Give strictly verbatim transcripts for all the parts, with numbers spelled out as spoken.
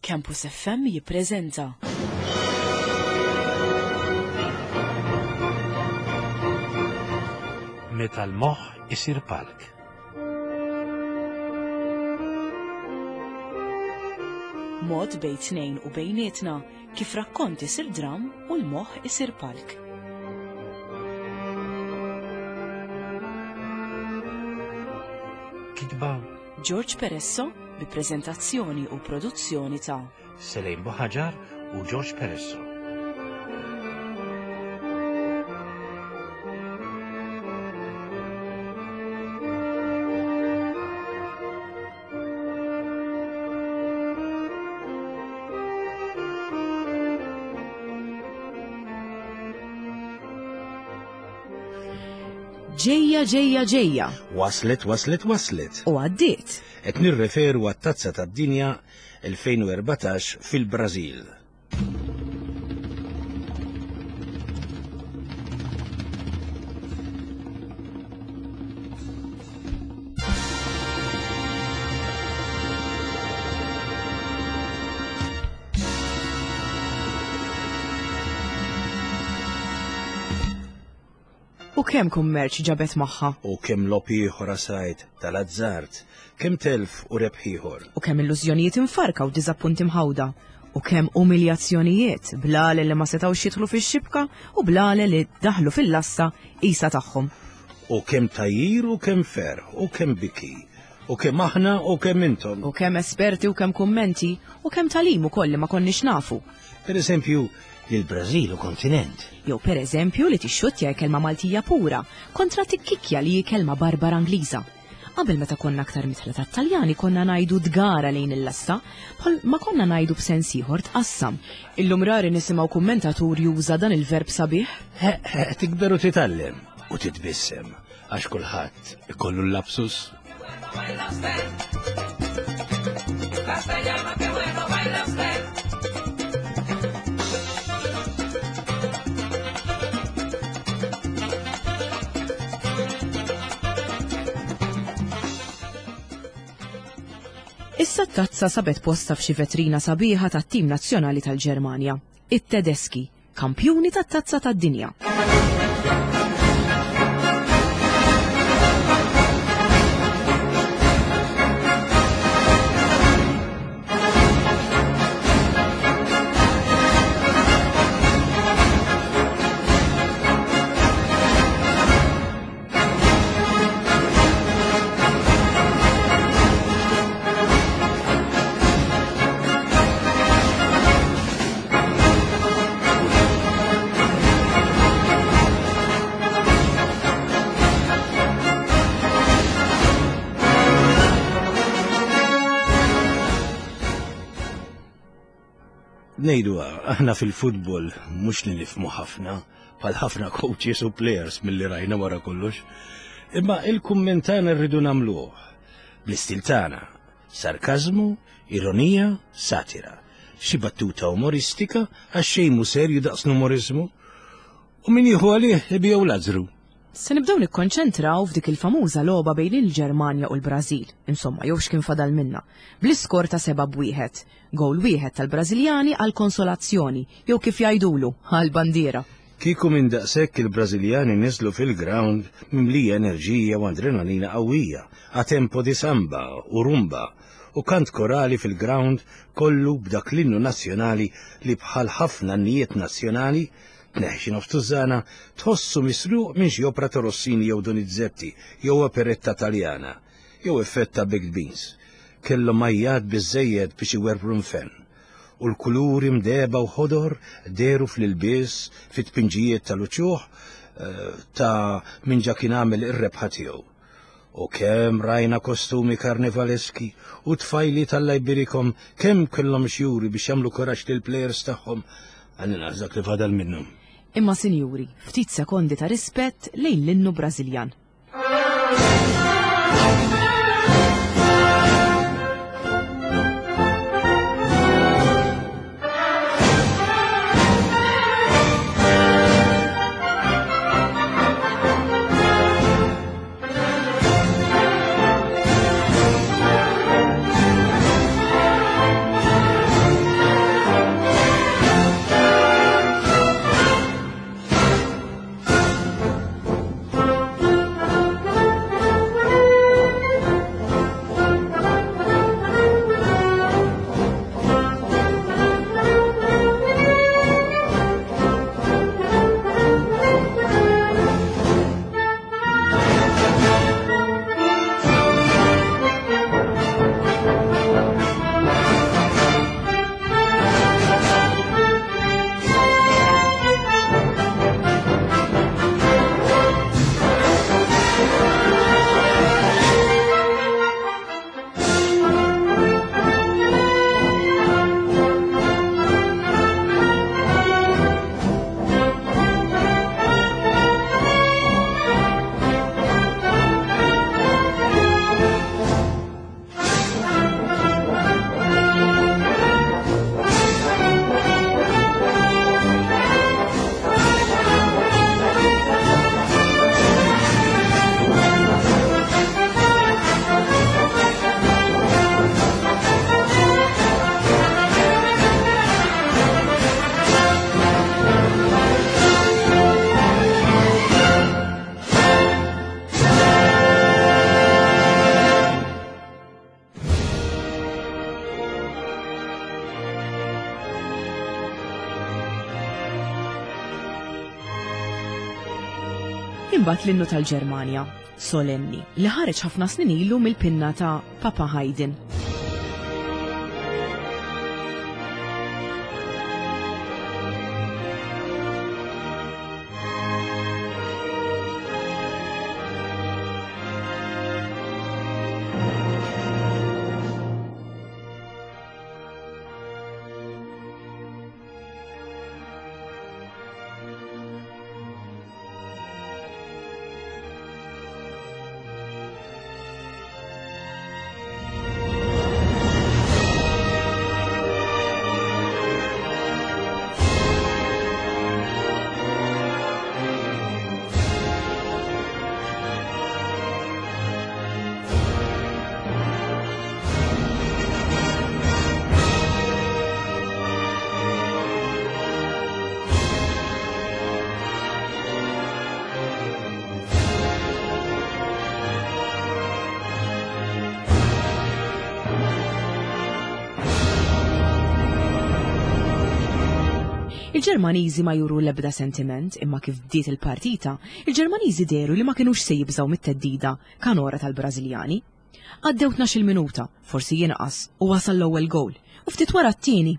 Campus F M jippreżenta Meta l-moħħ isir palk. Mod bejn tnejn u bejnietna kif rakkont isir dram u l-moħħ isir palk. Kitba George Peresso bi preżentazzjoni u produzzjoni ta' Selejn Buħaġar u George Peresso. Ġejja, ġejja, ġejja. Waslet, waslet, waslet. U għaddiet. Qed nirreferu għat-Tazza tad-Dinja elfejn u erbatax fil-Brażil. U kemm kummerċ ġabet magħha? U kemm logħob ieħor asajt tal-azzard, kemm telf u rebħ ieħor. U kemm illużjonijiet imfarka u diżappunti mħawda. U kemm umiljazzjonijiet, blale li ma setgħux jidħlu fix-xibka u blale li daħlu fil-lassa isa tagħhom. U kemm tajjir u kemm ferħ u kemm biki. U kemm aħna u kemm intom. U kemm esperti u kemm kummenti u kemm talim ukoll li ma konniex nafu. Per eżempju, li l-Brażil u kontinent. Jew per eżempju li tixxuttja kelma Maltija pura kontra tikkikja li hi kelma barbara Ingliża. Qabel meta konna aktar mitħla tat-Taljani konna ngħidu dgara lejn il-lasta, bħal ma konna ngħidu b'sens ieħor tqassam. Illum rari nisimgħu kummentatur juża dan il-verb sabiħ. He, he, tikber u titgħallem u titbissem għax kulħadd ikollu l-lapsus. Issa t-tazza sabet posta f'xi vetrina sabiħa tat-tim nazzjonali tal-Ġermanja, it-Tedeski, kampjuni tat-tazza tad-dinja. Nejdu, aħna fil-futbol mhux li nifhmu ħafna, bħal ħafna coaches u players milli rajna wara kollox, imma il-kumment tagħna rridu nagħmluh bl-istil tagħna, sarkażmu, ironija, satira, xi battuta umoristika għax xejn mhu serju daqs l-umorizmu, u min jieħu għalih ibiegħu Lazzru. Se nibdew nikkonċentraw f'dik il-famuża logħba bejn il-Ġermanja u l-Brażil, insomma jew x'kien fadal minna, bl-iskor ta' seba' b'wieħed, gowl wieħed tal-Brażiljani għal konsolazzjoni, jew kif jgħidulu, għal bandiera. Kieku minn daqshekk il-Brażiljani niżlu fil-ground mimlija enerġija u adrenalina qawwija, a tempo di samba u rumba, u kant korali fil-ground kollu b'dak l-innu nazzjonali li bħal ħafna nnijiet nazzjonali tneħxi nofs tużana tħossu misruq minn xi opra ta' Rossini jew Donizetti jew operetta Taljana jew effett ta' Baked Beans. Kellhom majjat biżżejjed biex iwerwru nfen. U l-kuluri mdeba u ħodor deru fl-ilbies fit-tpinġijiet tal-uċuħ, eh, ta' min ġa kien għamel ir-rebħa tiegħu. U kemm rajna kostumi karnivaleski u tfajli tal-lajbirikom kemm kellhom xjuri biex jagħmlu kuraġġ lill-plejers tagħhom għal dak li fadal minnhom. Imma sinjuri, ftit sekondi ta' rispett lejn l-innu Brażiljan. Imbagħad l-innu tal-Ġermanja, solenni, li ħareġ ħafna snin ilu mill-pinna ta' Papa Haydn. Il-Ġermaniżi ma juru l-ebda sentiment, imma kif bdiet il-partita, il-Ġermaniżi dehru li ma kinux se jibżgħu mit-theddida kanora tal-Brażiljani. Għaddew tnax-il minuta, forsi jinqas, u wasal l-ewwel gowl, u ftit wara t-tieni.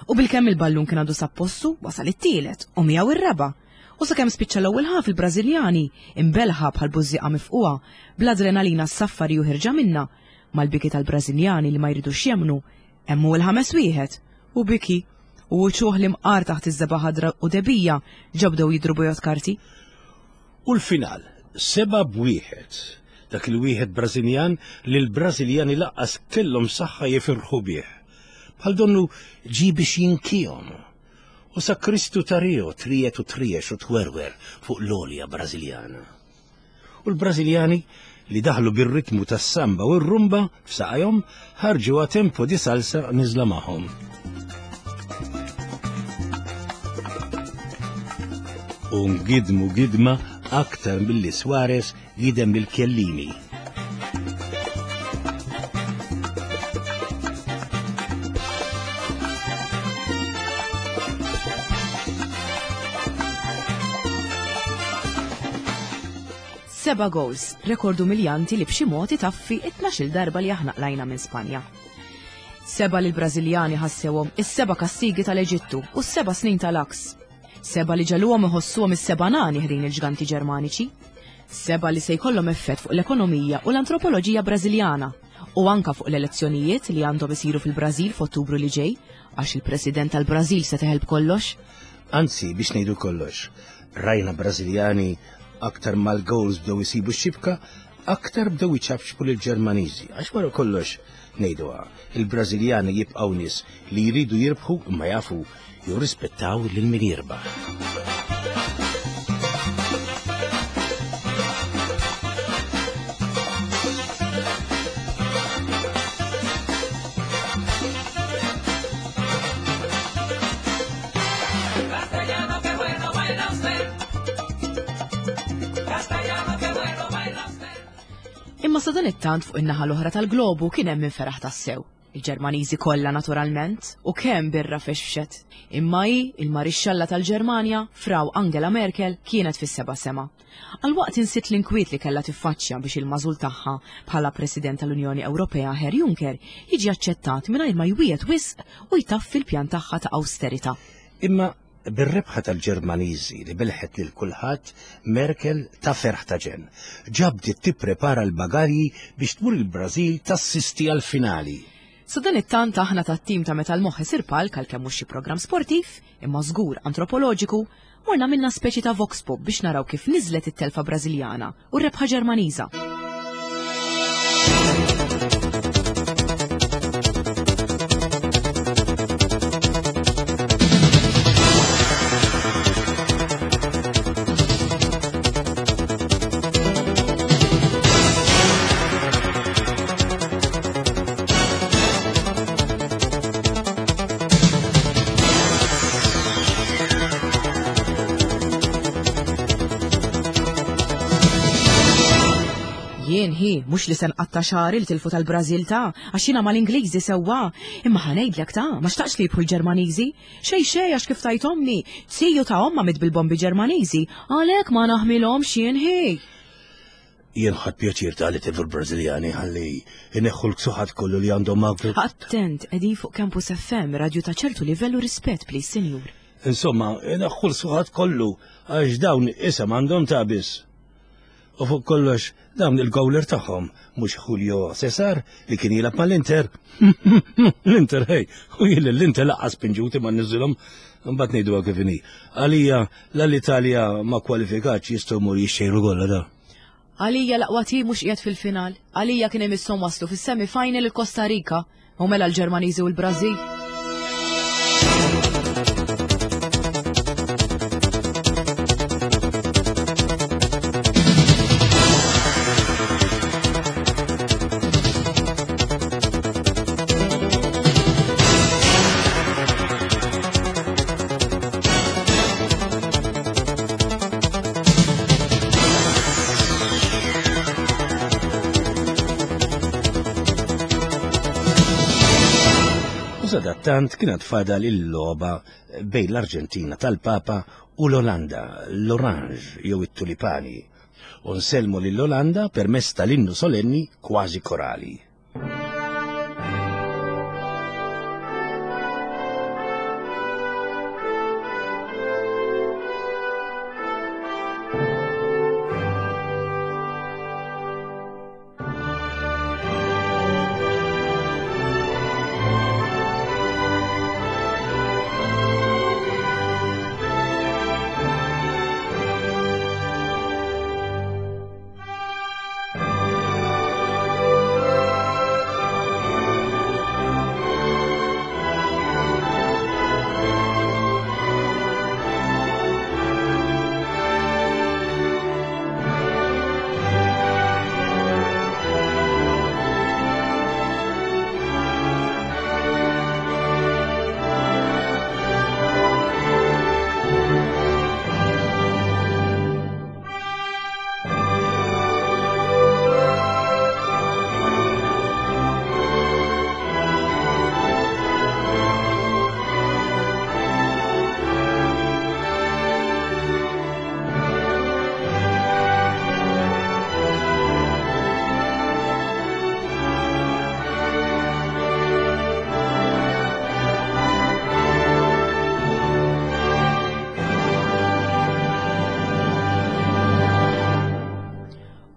U bilkemm il-ballun kien għadu sab postu, wasal it-tielet, u miegħu ir-raba'. U sakemm spiċċa l-ewwel ħaf il-Brażiljani, imbelħa bħal bużżieqa mifquha, bl-adrenalina s-saffari u ħirġa minna, mal-biki tal-Brażiljani li ma jridux jemmnu, hemm hu l-ħames wieħed, u biki. U uċuħ li mqar taħt iż-żebgħa ħadra u debija ġabdew jidru bojot karti. U l-final, seba' b'wieħed. Dak il-wieħed Brażiljan li l-Brażiljani laqqas kellhom saħħa jifirħu bih. Bħal donnu ġie biex jinkihom. U sa Kristu ta' Rio trijet u triex u twerwer fuq l-olja Brażiljana. U l-Brażiljani li daħlu bir-ritmu tas-samba u r-rumba f'saqajhom ħarġu a tempo di salsa niżla magħhom. U ngidmu gidma aktar milli Suarez gidem lil Chiellini. Seba' goals, rekord umiljanti li b'xi mod itaffi it-tnax-il darba li aħna qlajna minn Spanja. Seba' li l-Brażiljani ħassewhom is-seba' kastigi tal-Eġittu u s-seba' snin tal-Aks. Seba' li ġaluhom iħossuhom is-seba' nani ħdejn il-ġganti Ġermaniċi. Seba' li se jkollhom effett fuq l-ekonomija u l-antropoloġija Brażiljana u anka fuq l-elezzjonijiet li għandhom isiru fil-Brażil f'Ottubru li ġej, għax il-President tal-Brażil se teħel b'kollox. Anzi, biex ngħidu kollox, rajna Brażiljani aktar mal-goals bdew isibu x-xibka, aktar bdew iċapċpu lill-Ġermaniżi, għax wara kollox ngħiduha, il-Brażiljani jibqgħu nies li jridu jirbħu imma jafu jirrispettaw lil min jirbaħ. Castellano, qué bueno baila usted. Castellano, qué bueno baila usted. Imma sadanittant fuq in-naħa l-oħra tal-globu kien hemm min feraħ tassew. Il-Ġermaniżi kollha naturalment, u kemm birra fexfxet. Imma hi, il-marixxalla tal-Ġermanja, Frau Angela Merkel, kienet fis-seba' sema. Għal waqt insiet l-inkwiet li kellha tiffaċċja biex il-mażul tagħha bħala President tal-Unjoni Ewropea Herr Juncker jiġi aċċettat mingħajr ma jwiegħed wisq u jtaffi l-pjan tagħha ta' austerità. Imma bir-rebħa tal-Ġermaniżi li belħet lil kulħadd, Merkel ta' ferħ ta' ġenn. Ġabdiet tipprepara l-bagalji biex tmur il-Brażil tassisti għall-finali. Sadanittant aħna tat-tim ta' meta l-moħħ isir palk għalkemm mhux xi programm sportiv, imma żgur antropoloġiku, morna minna speċi ta' vox pop biex naraw kif niżlet it-telfa Brażiljana u r-rebħa Ġermaniża. hi, mhux li se nqatta' xagħri li tilfu tal-Brażil ta' għax jiena mal-Ingliżi sewwa, imma ħa ngħidlek ta' ma xtaqx li jibħu l-Ġermaniżi. Xejn xejn għax kif tajt ommi, ziju ta' omma mit bil-bombi Ġermaniżi, għalhekk ma naħmilhomx jien hi. Jien ħadt pjaċir ta' li tilfu l-Brażiljani ħalli ineħħu l-ksuħat kollu li għandhom ma' Attent, qegħdin fuq Campus F M, radju ta' ċertu livell u rispett, please, sinjur. Insomma, ineħħu l-ksuħat kollu għax dawn isem għandhom ta' biss. U fuq kollox, dawn il-gowler tagħhom mhux Julio Cesar li kien jilgħab mal-Inter. L-Inter, hej, u jien l-Inter laqqas pinġuti ma niżilhom, mbagħad ngħiduha kif inhi. Għalija l-Italja ma kwalifikatx jistgħu jmur jixxejru golla da. Għalija l-aqwa tim mhux qiegħed fil-final. Għalija kien imisshom waslu fis-semi-final il-Costa Rica u mela l-Ġermaniżi u l-Brażil. Sadattant kienet fadal il-logħba bejn l-Arġentina tal-Papa u l-Olanda, l-Orange jew it-Tulipani, u nsellmu lill-Olanda permezz tal-innu solenni kważi korali.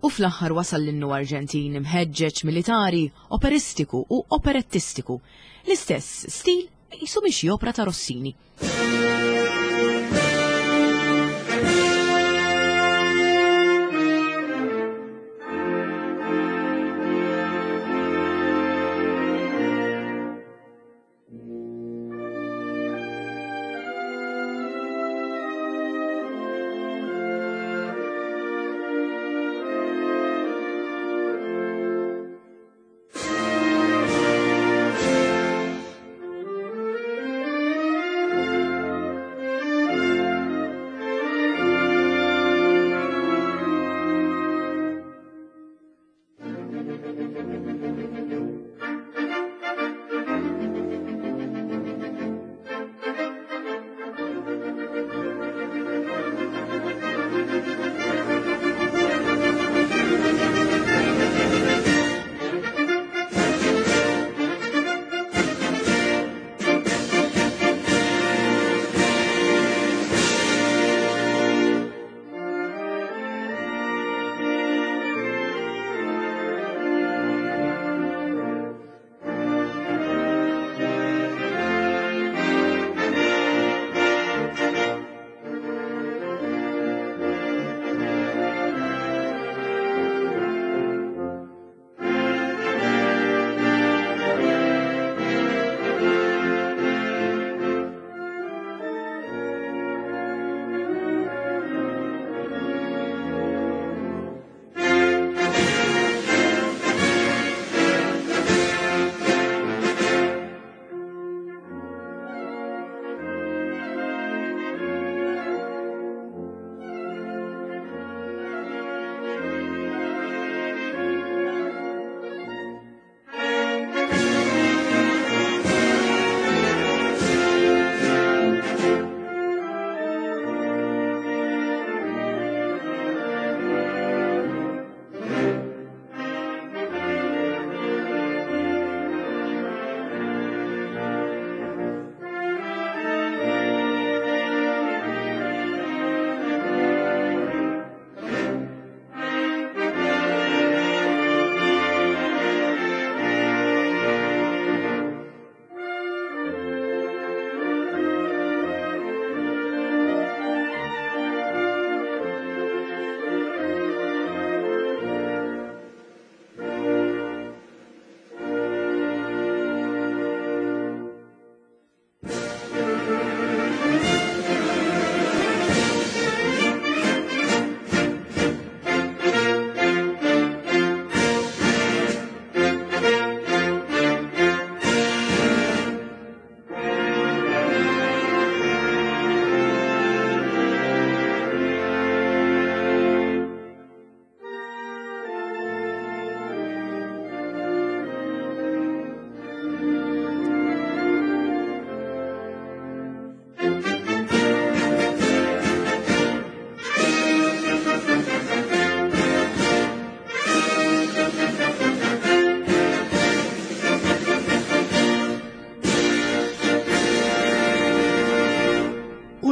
U fl-aħħar wasal l-innu Arġentin imħeġġeġ militari, operistiku u operettistiku. L-istess stil jisu minn xi opra ta' Rossini.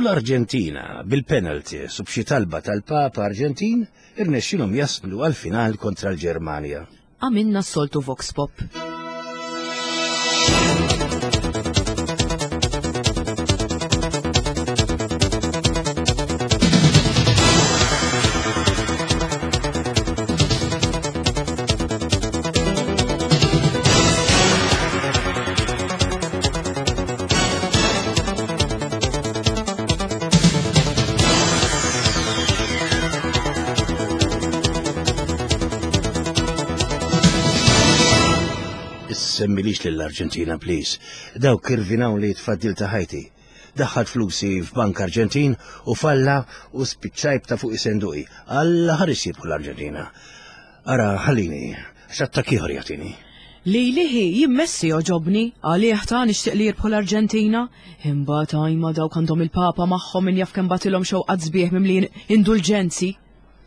U l-Arġentina bil-penalties u b'xi talba tal-Papa Arġentin irnexxilhom jaslu għal-final kontra l-Ġermanja. Għamilna s-soltu vox pop. Semmilix lill-Arġentina, please. Dawk kirvinaw li tfaddil ta' ħajti. Daħħalt flusi f'Bank Arġentin u falla u spiċċajb ta' fuq isenduqi. Alla ħares jirbħu l-Arġentina. Ara, ħallini, x'attakk ieħor jagħtini. Li liħi jimmessi joġobni, għalih ta' nixtieq li jirbħu l-Arġentina. Imbagħad għajma dawk għandhom il-Papa magħhom min jaf kemm batilhom xewqat sbieħ mimlijin indulġenzi.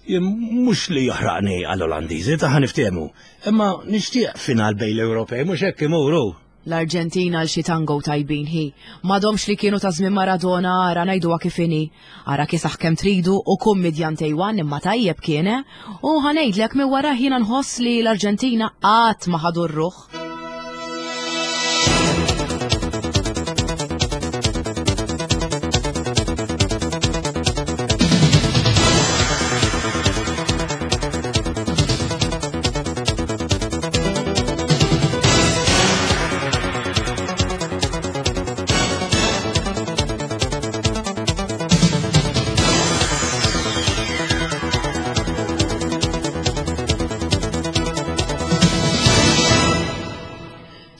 Jien mhux li jaħraqni għall-Olandiżi ta' ħaniftehmu, imma nixtieq final bejn l-Ewropej mhux hekk imuru. L-Arġentina għal xi tango tajbin hi. M'għadhomx li kienu ta' żmien Maradona ara ngħiduha kif inhi. Ara kisaħ kemm tridu u kummidjan Tejwan imma tajjeb kien, eh? U ħanejdlek minn wara jiena nħoss li l-Arġentina qatt ma ħadu r-ruħ.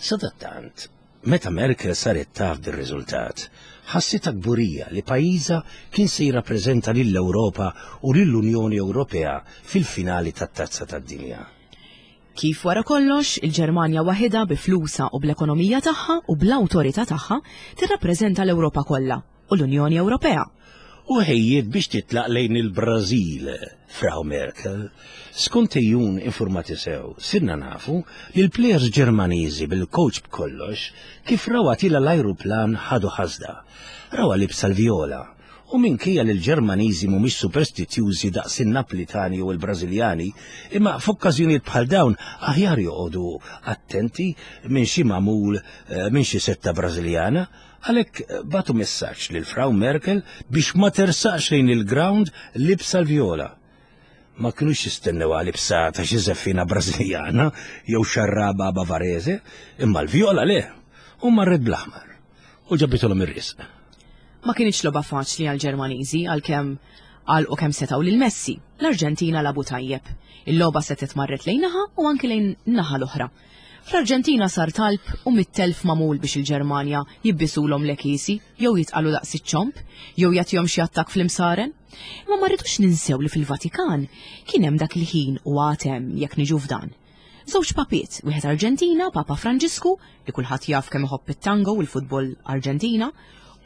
Sadattant, meta Merkel saret taf dir-riżultat, ħassitha kburija li pajjiżha kien se jirrappreżenta lill-Ewropa u lill-Unjoni Ewropea fil-finali tat-Tazza tad-Dinja. Kif wara kollox, il-Ġermanja waħedha bi flusha u bl-ekonomija tagħha u bl-awtorità tagħha tirrappreżenta l-Ewropa kollha u l-Unjoni Ewropea. U ħejjiet biex titlaq lejn il-Brażil, Frau Merkel. Skont ejjun informati sew, sirna nafu li l-plejers Ġermaniżi bil-coach b'kollox kif rawha tila l-ajruplan ħadu ħasda. Rawha libsa l-vjola. U minkejja li l-Ġermaniżi mhumiex superstizjużi daqs in-Naplitani u l-Brażiljani, imma f'okkażjonijiet bħal dawn aħjar joqogħdu attenti minn xi magħmul eh, minn xi setta Brażiljana. Għalhekk batu messaġġ lil Frau Merkel biex ma tersaqx lejn il-ground libsa l-vjola. Ma kinux jistennew libsa ta' xi żeffina Brażiljana jew xarraba Bavarese, imma l-vjola le, u marret bl-aħmar u ġabitulhom ir-risq. Ma kienx logħba faċli għall-Ġermaniżi għalkemm għalqu kemm setgħu lil Messi. L-Arġentina labu tajjeb. Il-logħba setgħet marret lejn naħa u anki lejn naħa l-oħra. Fl-Arġentina sar talb u mit-telf magħmul biex il-Ġermanja jibbisulhom l-ekisi jew jitqalu daqs iċ-ċomp jew jagħtihom xi attakk fl-imsaren. Imma ma rridux ninsew li fil-Vatikan kien hemm dak il-ħin u għad hemm jekk niġu f'dan. Żewġ papiet, wieħed Arġentina, Papa Franġisku, li kulħadd jaf kemm iħobb it-tango u l-futbol Arġentina,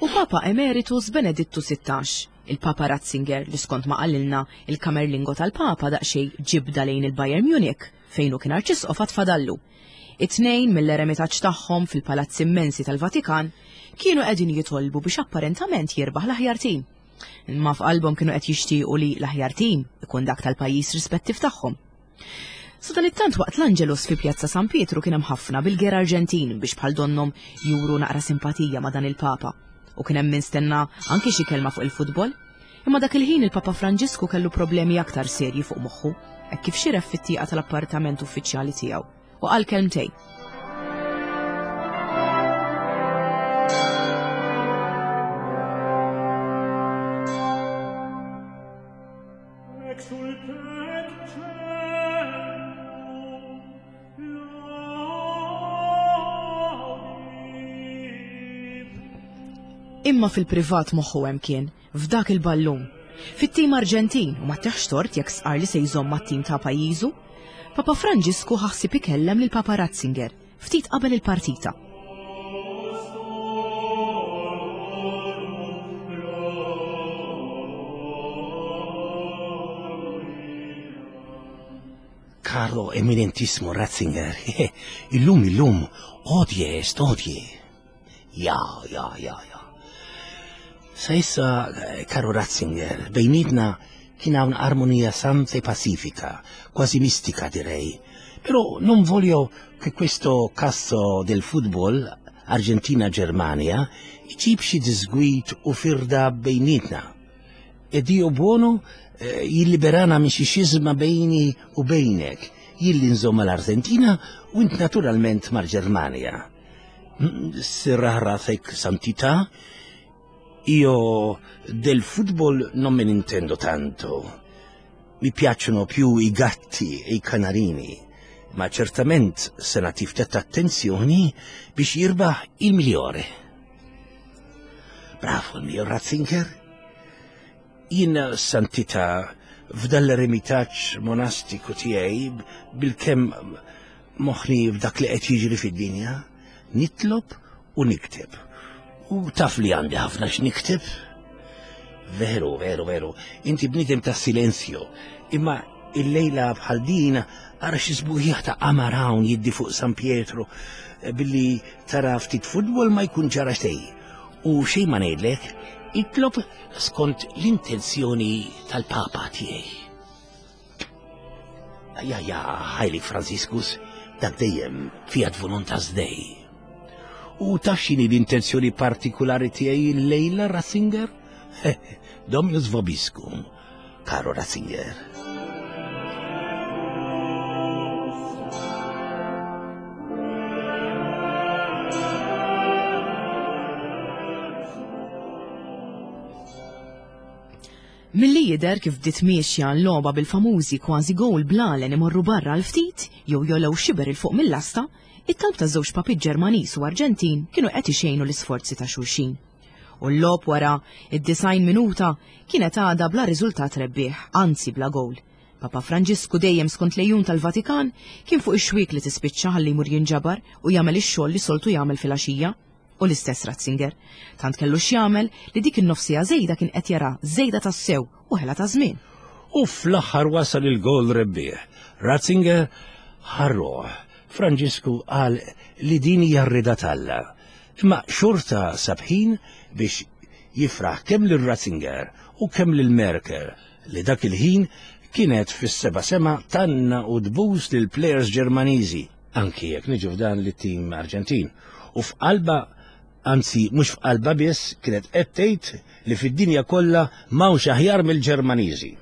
u Papa Emeritus Benedittu sittax, il-Papa Ratzinger li skont ma qalilna il-kamerlingo tal-Papa daqsxejn ġibda lejn il-Bayern Munich fejn hu kien arċisqof għad fadallu. It-tnejn mill-eremitaġġ tagħhom fil-palazzi immensi tal-Vatikan kienu qegħdin jitolbu biex apparentament jirbaħ l-aħjar tim. Imma f'qalbhom kienu qed jixtiequ li l-aħjar tim ikun dak tal-pajjiż rispettiv tagħhom. Sadanittant waqt l-Angelus fi Pjazza San Pietru kien hemm ħafna bil-ger Arġentin biex bħal donnhom juru naqra simpatija ma' dan il-Papa. U kien hemm min stenna anki xi kelma fuq il-futbol. Imma dak il-ħin il-Papa Franġisku kellu problemi aktar serji fuq moħħu, hekk kif xiref fit-tieqa tal-appartament uffiċjali tiegħu u qal kelmtejn. Imma fil-privat moħħu hemm kien, f'dak il-ballun. Fit-tim Arġentin, u ma teħx tort jekk sqar li se jżomm mat-tim ta' pajjiżu, Papa Franġisku ħassib ikellem lil Papa Ratzinger ftit qabel il-partita. Caro eminentissimo Ratzinger, illum illum, odie est odie. Ja, ja, ja, ja. Sa issa, caro Ratzinger, bejnietna kien hawn armonia santa e pacifica, quasi mistica direi. Però non voglio che questo caso del football Argentina-Germania iġib xi disgwid u firda bejnietna. E Dio buono eh, jilliberana minn xi xiżma bejni u bejnek, jilli nżomm mal-Argentina u int naturalment mal-Ġermanja. Sirraħ rasek santità, io del football non me ne intendo tanto. Mi piacciono più i gatti e i canarini, ma certament se nagħti ftit attenzjoni biex jirbaħ il migliore. Bravo il mio Ratzinger. Jien santità f'dan l-eremitaġġ monastiku tiegħi bilkemm moħħni f'dak li qed jiġri fid-dinja, nitlob u nikteb. U taf li għandi ħafna x'nikteb. Veru, veru, veru, inti bniedem ta' silenzju, imma il-lejla bħal din ara xi sbuħija ta' qamar hawn jiddi fuq San Pietro billi tara ftit futbol ma jkun ġara xejn. U xejn ma ngħidlek, itlob skont l-intenzjoni tal-Papa tiegħi. Ja, ja, Heilig Franciscus, dak dejjem fiat voluntas Dei. U taf x'inhi l-intenzjoni partikulari tiegħi l-lejla, Ratzinger? Dominus vobiscum, caro Ratzinger. Milli jidher kif bdiet miexja l-logħba bil-famużi kważi gowl blalen imorru barra l-ftit jew jogħlew xiber il fuq mill-lasta, it-talb ta' żewġ papi Ġermaniż u Arġentin kienu qed ixejnu l-isforzi ta' xulxin. U l-logħob wara id-disgħin minuta kienet għadha bla riżultat rebbieħ, anzi bla gowl. Papa Franġisku dejjem skont lejun tal-Vatikan kien fuq ix-xwiek li tispiċċa ħalli jmur jinġabar u jagħmel ix-xogħol li soltu jagħmel filgħaxija. U l-istess Ratzinger, tant kellu x'jagħmel li dik in-nofsija żejda kien qed jara żejda tas-sew u ħela ta' żmien. U fl-aħħar wasal il-gol rebbieħ. Ratzinger ħarruh. Franġisku qal li din hija r-rida t'Alla. Imma xorta sabħin biex jifraħ kemm lil Ratzinger u kemm lil Merkel li dak il-ħin kienet fis-seba' sema tanna u dbus lil players Ġermaniżi, anki jekk niġu f'dan lit-tim Arġentin. U f'qalba, anzi mhux f'qalba biss, kienet qed tgħid li fid-dinja kollha m'hawnx aħjar mill-Ġermaniżi.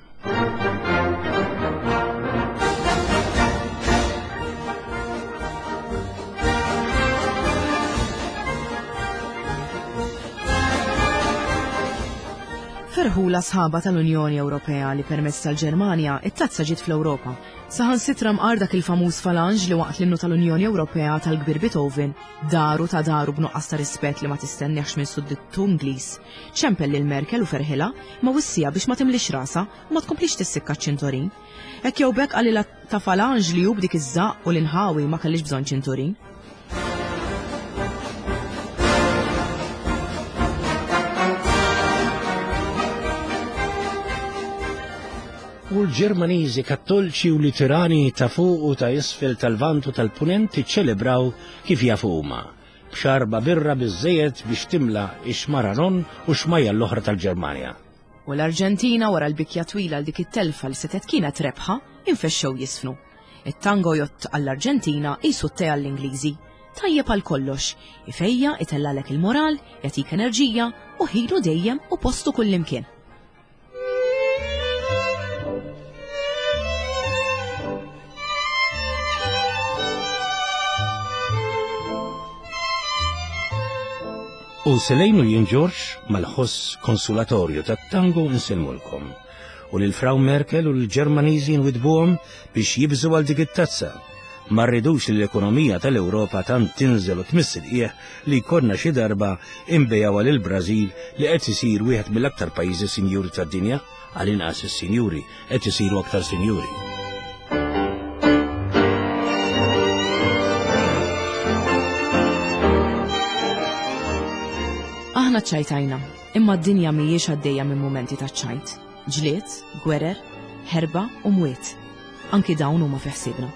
Ferħula sħaba tal-Unjoni Ewropea li permezz tal-Ġermanja it-tazza ġiet fl-Ewropa. Saħansitra mqar dak il-famuż falanġ li waqt l-innu tal-Unjoni Ewropea tal-kbir Beethoven daru ta' daru b'nuqqas ta' rispett li ma tistenniex minn suddittu Ingliż. Ċempel lil Merkel u ferħilha ma wissija biex ma timlix rasha u ma tkomplix tissikka ċ-ċintorin. Hekk jew b'hekk qalilha ta' falanġ li hu b'dik iż-żaqq u l-inħawi ma kellix bżonn ċintorin. U l-Ġermaniżi kattolċi u Luterani ta' fuq u ta' isfel tal-Vant u tal-Punent iċċelebraw kif jafu huma, b'xarba birra biżżejjed biex timla ix-xmara Ron u xmajja l-oħra tal-Ġermanja. U l-Arġentina wara l-bikja twila għal dik it-telfa li setgħet kienet rebħa infexxew jisfnu. It-tango jott għall-Arġentina qisu t-te għall-Ingliżi. Tajjeb għal kollox, ifejja, itellgħalek il-moral, jagħtik enerġija u ħilu dejjem u postu kullimkien. U Selejnu jien Ġorġ mal-ħoss konsulatorju tat-tango nselmulkom. U lil Frau Merkel u l-Ġermaniżi nwidbuhom biex jibżu għal dik it-tazza. Ma rridux li l-ekonomija tal-Ewropa tant tinżel u tmiss il-qiegħ li jkollna xi darba inbejgħu lil Brażil li qed isir wieħed mill-aktar pajjiżi sinjuri tad-dinja, għal inqas is-sinjuri qed isiru aktar sinjuri. Aħna ċajtajna, imma d-dinja mhijiex għaddejja minn mumenti ta' ċajt, ġlied, gwerer, ħerba u mwiet. Anki dawn huma fi ħsiebna.